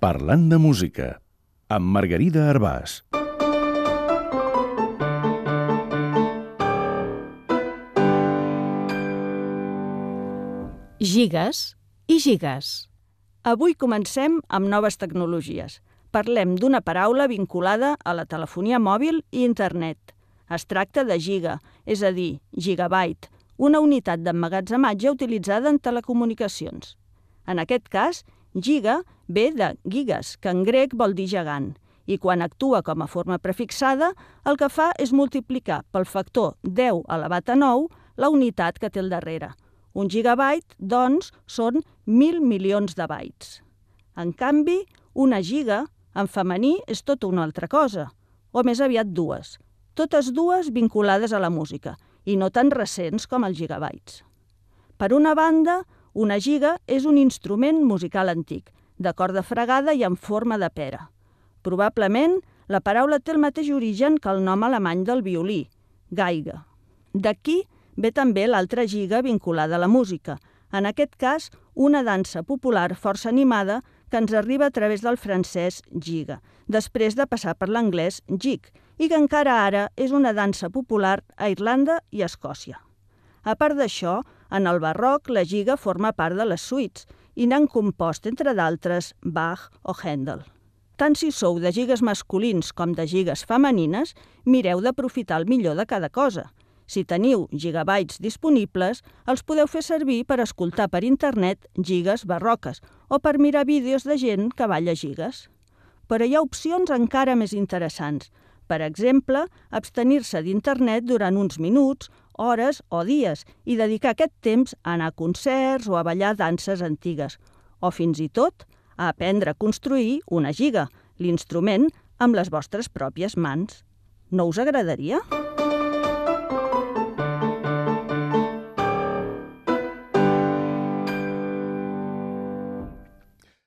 Parlant de música, amb Margarida Arbàs. Gigas i gigas. Avui comencem amb noves tecnologies. Parlem d'una paraula vinculada a la telefonia mòbil i internet. Es tracta de giga, és a dir, gigabyte, una unitat d'emmagatzematge utilitzada en telecomunicacions. En aquest cas, giga ve de gigas, que en grec vol dir gegant, i quan actua com a forma prefixada, el que fa és multiplicar pel factor 10 elevat a 9 la unitat que té al darrere. Un gigabyte, doncs, són 1.000 milions de bytes. En canvi, una giga, en femení, és tota una altra cosa, o més aviat dues, totes dues vinculades a la música, i no tan recents com els gigabytes. Per una banda, una giga és un instrument musical antic, de corda fregada i en forma de pera. Probablement, la paraula té el mateix origen que el nom alemany del violí, Geige. D'aquí ve també l'altra giga vinculada a la música, en aquest cas una dansa popular força animada que ens arriba a través del francès giga, després de passar per l'anglès jig, i que encara ara és una dansa popular a Irlanda i a Escòcia. A part d'això, en el barroc la giga forma part de les suites i n'han compost, entre d'altres, Bach o Händel. Tant si sou de gigues masculins com de gigues femenines, mireu d'aprofitar el millor de cada cosa. Si teniu gigabytes disponibles, els podeu fer servir per escoltar per internet gigues barroques o per mirar vídeos de gent que balla gigues. Però hi ha opcions encara més interessants. Per exemple, abstenir-se d'internet durant uns minuts, hores o dies i dedicar aquest temps a anar a concerts o a ballar danses antigues, o fins i tot a aprendre a construir una giga, l'instrument, amb les vostres pròpies mans. No us agradaria?